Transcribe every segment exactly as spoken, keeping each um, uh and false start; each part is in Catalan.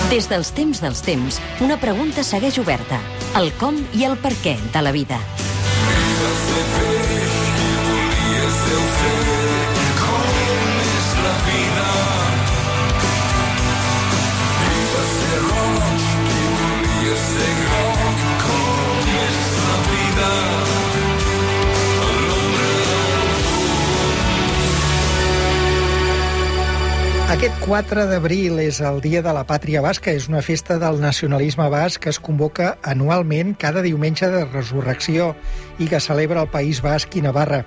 Des dels temps dels temps, una pregunta segueix oberta. El com i el per què de la vida. Aquest quatre d'abril és el Dia de la Pàtria Basca. És una festa del nacionalisme basc que es convoca anualment cada diumenge de Resurrecció i que celebra el País Basc i Navarra.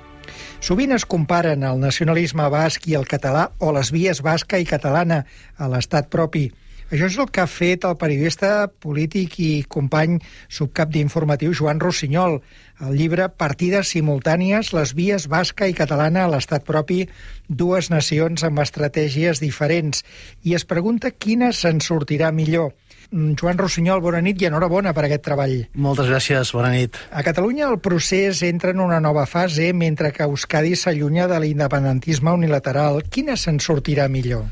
Sovint es comparen el nacionalisme basc i el català o les vies basca i catalana a l'estat propi. Això és el que ha fet el periodista polític i company subcap d'informatiu Joan Rossinyol. El llibre Partides simultànies, les vies basca i catalana a l'estat propi, dues nacions amb estratègies diferents. I es pregunta quina se'n sortirà millor. Joan Rossinyol, bona nit i enhorabona per aquest treball. Moltes gràcies, bona nit. A Catalunya el procés entra en una nova fase, mentre que Euskadi s'allunya de l'independentisme unilateral. Quina se'n sortirà millor?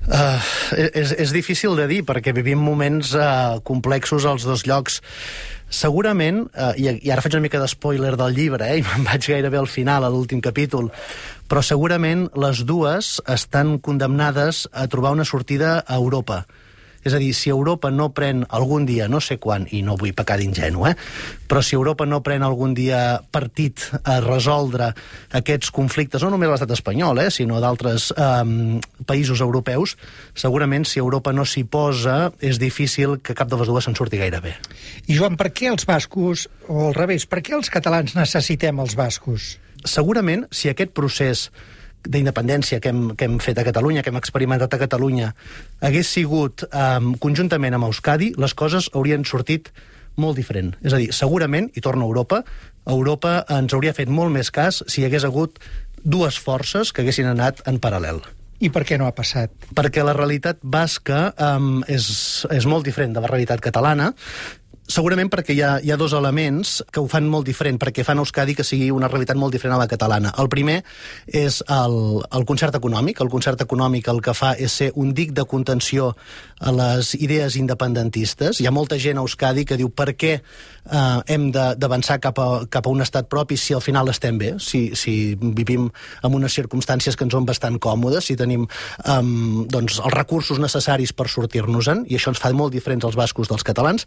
Uh, és, és difícil de dir, perquè vivim moments uh, complexos als dos llocs. Segurament, uh, i, i ara faig una mica d'espoiler del llibre, eh, i me'n vaig gairebé al final, a l'últim capítol, però segurament les dues estan condemnades a trobar una sortida a Europa. És a dir, si Europa no pren algun dia, no sé quan, i no vull pecar d'ingenu, eh? però si Europa no pren algun dia partit a resoldre aquests conflictes, no només l'estat espanyol, eh, sinó d'altres eh, països europeus, segurament si Europa no s'hi posa, és difícil que cap de les dues se'n surti gaire bé. I Joan, per què els bascos, o al revés, per què els catalans necessitem els bascos? Segurament, si aquest procés d'independència que hem, que hem fet a Catalunya, que hem experimentat a Catalunya, hagués sigut um, conjuntament amb Euskadi, les coses haurien sortit molt diferent. És a dir, segurament, i torno a Europa, Europa ens hauria fet molt més cas si hi hagués hagut dues forces que haguessin anat en paral·lel. I per què no ha passat? Perquè la realitat basca um, és, és molt diferent de la realitat catalana. Segurament perquè hi ha, hi ha dos elements que ho fan molt diferent, perquè fan Euskadi que sigui una realitat molt diferent a la catalana. El primer és el, el concert econòmic. El concert econòmic el que fa és ser un dic de contenció a les idees independentistes. Hi ha molta gent a Euskadi que diu per què eh, hem d'avançar cap, a, cap a un estat propi si al final estem bé, si, si vivim en unes circumstàncies que ens són bastant còmodes, si tenim eh, doncs, els recursos necessaris per sortir-nos-en, i això ens fa molt diferents els bascos dels catalans.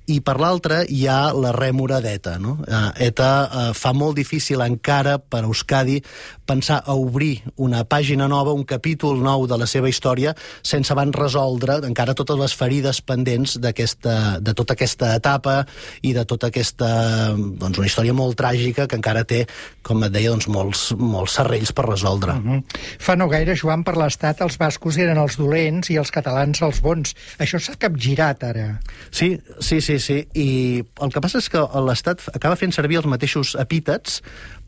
I per l'altra hi ha la rèmora d'ETA. No? ETA eh, fa molt difícil encara per Euskadi pensar a obrir una pàgina nova, un capítol nou de la seva història, sense abans resoldre encara totes les ferides pendents d'aquesta, de tota aquesta etapa i de tota aquesta, doncs, una història molt tràgica que encara té, com et deia, doncs, molts, molts serrells per resoldre. Uh-huh. Fa no gaire, Joan, per l'Estat els bascos eren els dolents i els catalans els bons. Això s'ha capgirat ara. Sí, sí, sí, sí. I el que passa és que l'Estat acaba fent servir els mateixos epítets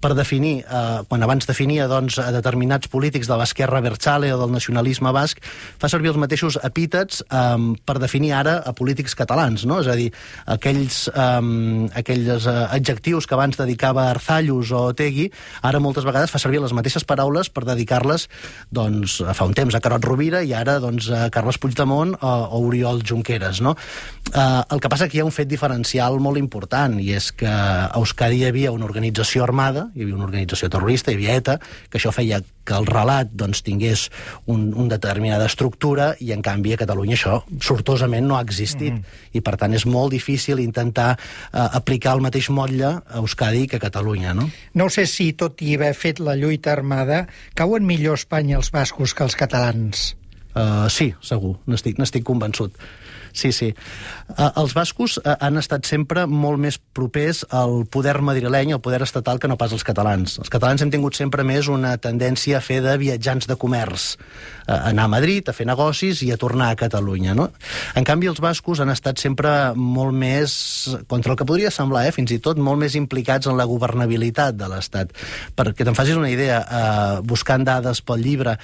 per definir, eh, quan abans definia doncs, a determinats polítics de l'esquerra abertzale o del nacionalisme basc, fa servir els mateixos epítets eh, per definir ara a polítics catalans, no? És a dir, aquells, eh, aquells adjectius que abans dedicava a Arzallus o Otegi, ara moltes vegades fa servir les mateixes paraules per dedicar-les, doncs, fa un temps a Carod Rovira i ara doncs, a Carles Puigdemont o, o Oriol Junqueras, no? Eh, el que passa que hi ha un fet diferencial molt important, i és que a Euskadi hi havia una organització armada, hi havia una organització terrorista, hi havia ETA, que això feia que el relat doncs, tingués un, un determinada estructura, i en canvi a Catalunya això sortosament no ha existit. Mm. I per tant és molt difícil intentar eh, aplicar el mateix motlle a Euskadi que a Catalunya, no? No sé si, tot i haver fet la lluita armada, cauen millor a Espanya els bascos que els catalans. Uh, sí, segur, n'estic, n'estic convençut. Sí, sí. Uh, els bascos uh, han estat sempre molt més propers al poder madrileny, al poder estatal, que no pas els catalans. Els catalans hem tingut sempre més una tendència a fer de viatjants de comerç, uh, anar a Madrid, a fer negocis i a tornar a Catalunya, no? En canvi, els bascos han estat sempre molt més, contra el que podria semblar, eh, fins i tot molt més implicats en la governabilitat de l'Estat. Perquè te'n facis una idea, uh, buscant dades pel llibre,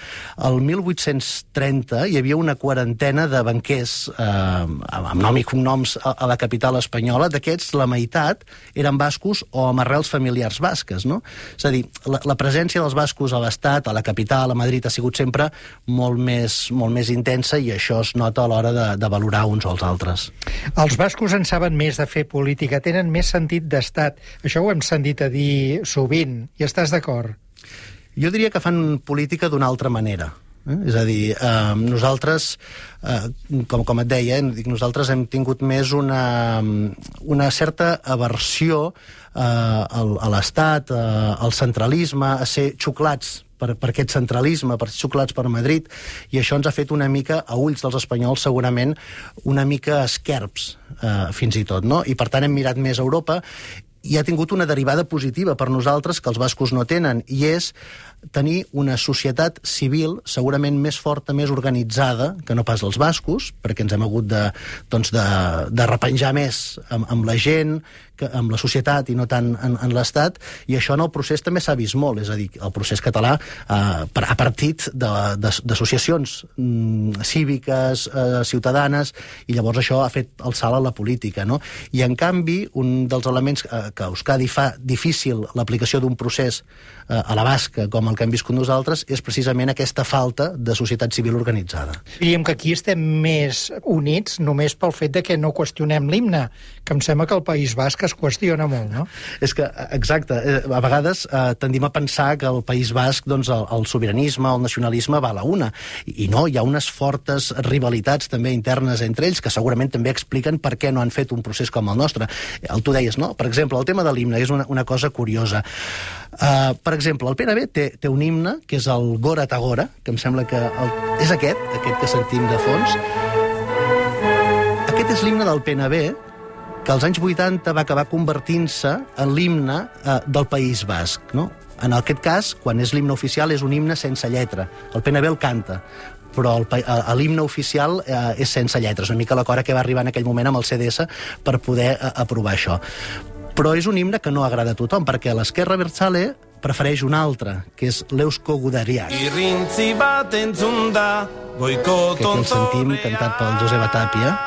el mil vuit-cents trenta hi havia una quarantena de banquers eh, amb nom i cognoms a, a la capital espanyola, d'aquests la meitat eren bascos o amb arrels familiars basques, no? És a dir, la, la presència dels bascos a l'estat, a la capital, a Madrid, ha sigut sempre molt més, molt més intensa, i això es nota a l'hora de, de valorar uns o els altres. Els bascos en saben més de fer política, tenen més sentit d'estat. Això ho hem sentit a dir sovint, i estàs d'acord? Jo diria que fan política d'una altra manera. Eh? És a dir, eh, nosaltres, eh, com, com et deia, eh, nosaltres hem tingut més una, una certa aversió eh, al, a l'Estat, eh, al centralisme, a ser xuclats per, per aquest centralisme, per ser xuclats per Madrid, i això ens ha fet una mica, a ulls dels espanyols segurament, una mica esquerps, eh, fins i tot, no? I per tant hem mirat més a Europa, i ha tingut una derivada positiva per nosaltres que els bascos no tenen, i és tenir una societat civil segurament més forta, més organitzada que no pas els bascos, perquè ens hem hagut de, doncs de, de repenjar més amb, amb la gent, que, amb la societat i no tant en, en l'Estat, i això en el procés també s'ha vist molt, és a dir, el procés català eh, ha partit d'associacions mm, cíviques, eh, ciutadanes, i llavors això ha fet el salt a la política, no? I en canvi, un dels elements eh, que Euskadi fa difícil l'aplicació d'un procés eh, a la basca, com el que hem viscut nosaltres, és precisament aquesta falta de societat civil organitzada. Diríem que aquí estem més units només pel fet de que no qüestionem l'himne, que em sembla que el País Basc es qüestiona molt, no? És que, exacte, a vegades eh, tendim a pensar que el País Basc, doncs, el, el sobiranisme, el nacionalisme va a la una, i no, hi ha unes fortes rivalitats també internes entre ells, que segurament també expliquen per què no han fet un procés com el nostre. El tu deies, no? Per exemple, el tema de l'himne és una, una cosa curiosa. Uh, per exemple, el P N B té, té un himne, que és el Gora Tagora, que em sembla que el, és aquest, aquest que sentim de fons. Aquest és l'himne del P N B, que als anys vuitanta va acabar convertint-se en l'himne uh, del País Basc, no? En aquest cas, quan és l'himne oficial, és un himne sense lletra. El P N B el canta, però l'himne oficial eh, és sense lletres, una mica l'acord que va arribar en aquell moment amb el C D S per poder eh, aprovar això. Però és un himne que no agrada a tothom, perquè l'esquerra abertzale prefereix un altre, que és l'Eusko Gudariak, que aquí el sentim cantat pel Joseba Tapia.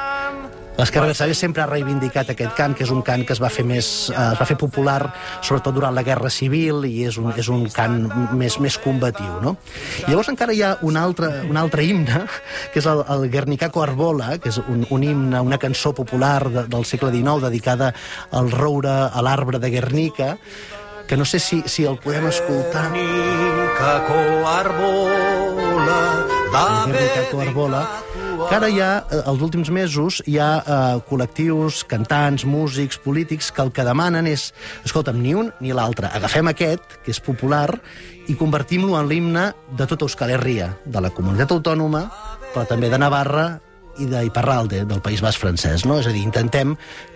L'esquerra abertzale sempre ha reivindicat aquest cant, que és un cant que es va fer més, eh, es va fer popular sobretot durant la Guerra Civil, i és un, és un cant més, més combatiu, no? I llavors encara hi ha un altre, un altre himne, que és el, el Guernicako Arbola, que és un, un himne, una cançó popular de, del segle dinou dedicada al roure, a l'arbre de Guernica, que no sé si, si el podem escoltar. Guernicako Arbola, Guernicako Arbola, que ara ja, els últims mesos, hi ha eh, col·lectius, cantants, músics, polítics, que el que demanen és, escolta'm, ni un ni l'altre. Agafem aquest, que és popular, i convertim-lo en l'himne de tota Euskal Herria, de la comunitat autònoma, però també de Navarra i d'Iparralde, del País Basc francès, no? És a dir, intentem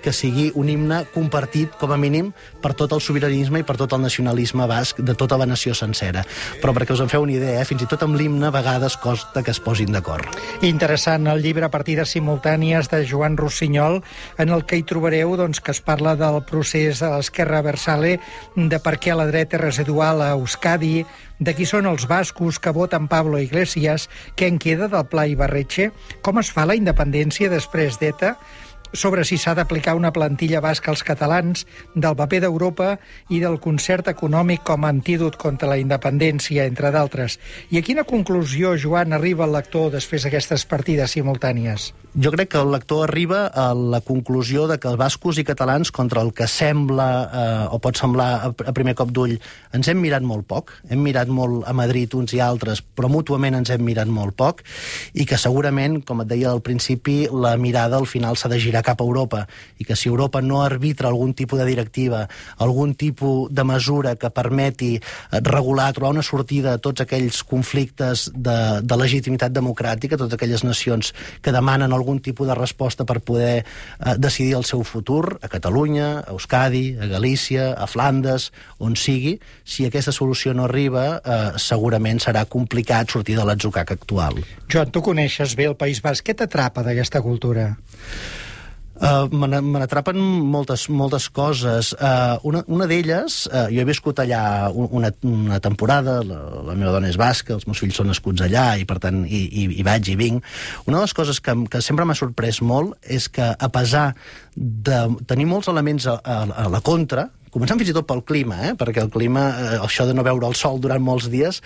que sigui un himne compartit, com a mínim, per tot el sobiranisme i per tot el nacionalisme basc de tota la nació sencera. Però perquè us en feu una idea, eh? Fins i tot amb l'himne a vegades costa que es posin d'acord. Interessant, el llibre Partides simultànies de Joan Rossinyol, en el que hi trobareu doncs, que es parla del procés de l'esquerra abertzale, de per què la dreta residual a Euskadi, de qui són els bascos que voten Pablo Iglesias, què en queda del Pla Ibarretxe, com es fa la independència després d'ETA, sobre si s'ha d'aplicar una plantilla basca als catalans, del paper d'Europa i del concert econòmic com a antídot contra la independència, entre d'altres. I a quina conclusió, Joan, arriba el lector després d'aquestes partides simultànies? Jo crec que el lector arriba a la conclusió de que els bascos i catalans, contra el que sembla, eh, o pot semblar a primer cop d'ull, ens hem mirat molt poc, hem mirat molt a Madrid uns i altres, però mútuament ens hem mirat molt poc, i que segurament, com et deia al principi, la mirada al final s'ha de girar cap a Europa, i que si Europa no arbitra algun tipus de directiva, algun tipus de mesura que permeti regular, trobar una sortida a tots aquells conflictes de, de legitimitat democràtica, totes aquelles nacions que demanen algun tipus de resposta per poder eh, decidir el seu futur, a Catalunya, a Euskadi, a Galícia, a Flandes, on sigui, si aquesta solució no arriba, eh, segurament serà complicat sortir de l'atzucac actual. Joan, tu coneixes bé el País Basc. Què t'atrapa d'aquesta cultura? Uh, me n'atrapen moltes, moltes coses. Uh, una una d'elles, uh, jo he viscut allà una, una temporada, la, la meva dona és basca, els meus fills són nascuts allà, i per tant hi, hi, hi vaig i vinc. Una de les coses que, que sempre m'ha sorprès molt és que, a pesar de tenir molts elements a, a, a la contra, començant fins i tot pel clima, eh? perquè el clima, eh, això de no veure el sol durant molts dies,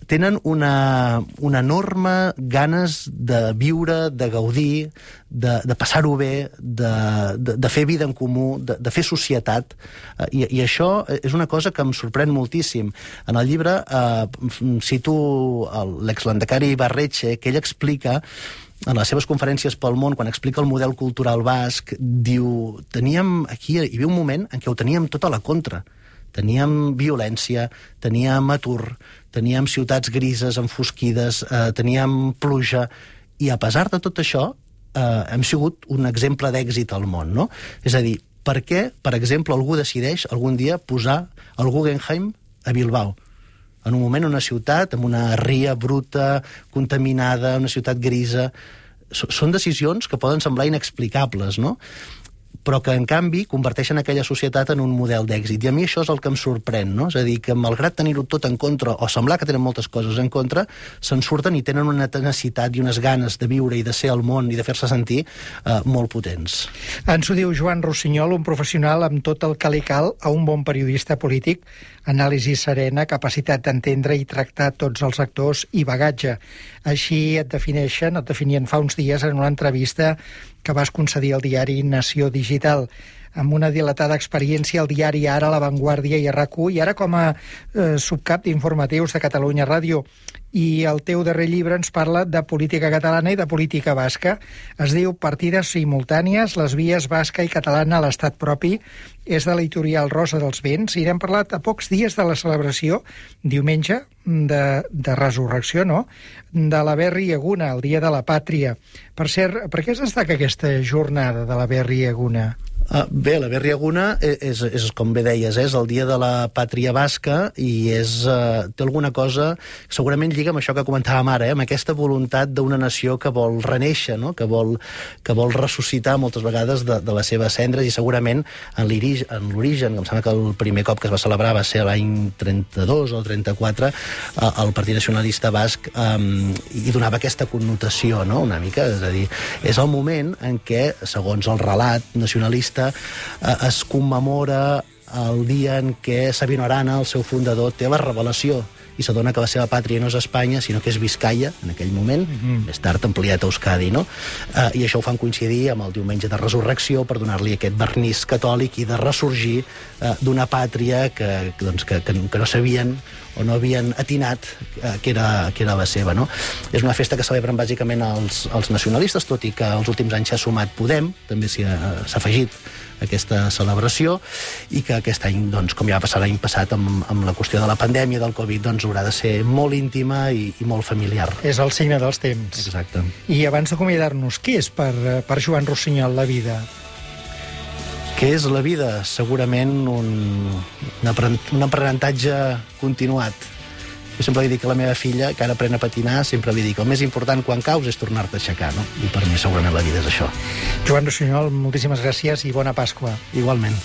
tenen una, una enorme ganes de viure, de gaudir, de, de passar-ho bé, de, de, de fer vida en comú, de, de fer societat, eh, i, i això és una cosa que em sorprèn moltíssim. En el llibre eh, cito l'exlandacari Barretxe, que ell explica en les seves conferències pel món, quan explica el model cultural basc, diu, teníem aquí, hi havia un moment en què ho teníem tot a la contra. Teníem violència, teníem atur, teníem ciutats grises, enfosquides, eh, teníem pluja, i a pesar de tot això, eh, hem sigut un exemple d'èxit al món, no? És a dir, per què, per exemple, algú decideix algun dia posar el Guggenheim a Bilbao? En un moment, una ciutat amb una ria bruta, contaminada, una ciutat grisa. Són decisions que poden semblar inexplicables, no? Però que, en canvi, converteixen aquella societat en un model d'èxit. I a mi això és el que em sorprèn, no? És a dir, que malgrat tenir-ho tot en contra, o semblar que tenen moltes coses en contra, se'n surten i tenen una tenacitat i unes ganes de viure i de ser al món i de fer-se sentir eh, molt potents. Ens ho diu Joan Rossinyol, un professional amb tot el que li cal a un bon periodista polític, anàlisi serena, capacitat d'entendre i tractar tots els actors i bagatge. Així et defineixen, et definien fa uns dies en una entrevista que vas concedir al diari Nació Digital. Amb una dilatada experiència al diari Ara, La Vanguardia i a RAC u, i ara com a eh, subcap d'informatius de Catalunya Ràdio. I el teu darrer llibre ens parla de política catalana i de política basca. Es diu Partides simultànies, les vies basca i catalana a l'estat propi. És de l'editorial Rosa dels Vents, i n'hem parlat a pocs dies de la celebració, diumenge, de, de resurrecció, no?, de la Berri Eguna, el Dia de la Pàtria. Per cert, per què es destaca aquesta jornada de la Berri Eguna? Uh, bé, la Berri Eguna és, és, com bé deies, és el dia de la pàtria basca, i és, uh, té alguna cosa, segurament lliga amb això que comentàvem ara, eh, amb aquesta voluntat d'una nació que vol renéixer, no? que, vol, que vol ressuscitar moltes vegades de, de les seves cendres, i segurament en l'origen, em sembla que el primer cop que es va celebrar va ser l'any trenta-dos o trenta-quatre, uh, el Partit Nacionalista Basc um, hi donava aquesta connotació, no? Una mica, és a dir, és el moment en què, segons el relat nacionalista, es commemora el dia en què Sabino Arana, el seu fundador, té la revelació i s'adona que la seva pàtria no és Espanya, sinó que és Biscaia, en aquell moment, mm-hmm. més tard ampliat a Euskadi, no? Uh, I això ho fan coincidir amb el diumenge de resurrecció per donar-li aquest vernís catòlic i de ressorgir uh, d'una pàtria que, doncs, que, que, que no sabien o no havien atinat uh, que, era, que era la seva, no? És una festa que celebren bàsicament els, els nacionalistes, tot i que els últims anys s'ha sumat Podem, també s'ha afegit aquesta celebració, i que aquest any, doncs, com ja va passar l'any passat amb, amb la qüestió de la pandèmia del Covid, doncs haurà de ser molt íntima i, i molt familiar. És el signe dels temps. Exacte. I abans d'acomiadar-nos, què és per, per Joan Rossinyol la vida? Què és la vida? Segurament un, un aprenentatge continuat. Jo sempre li dic a la meva filla, que ara aprèn a patinar, sempre li dic, el més important quan caus és tornar-te a aixecar, no? I per mi segurament la vida és això. Joan Rossinyol, moltíssimes gràcies i bona Pasqua. Igualment.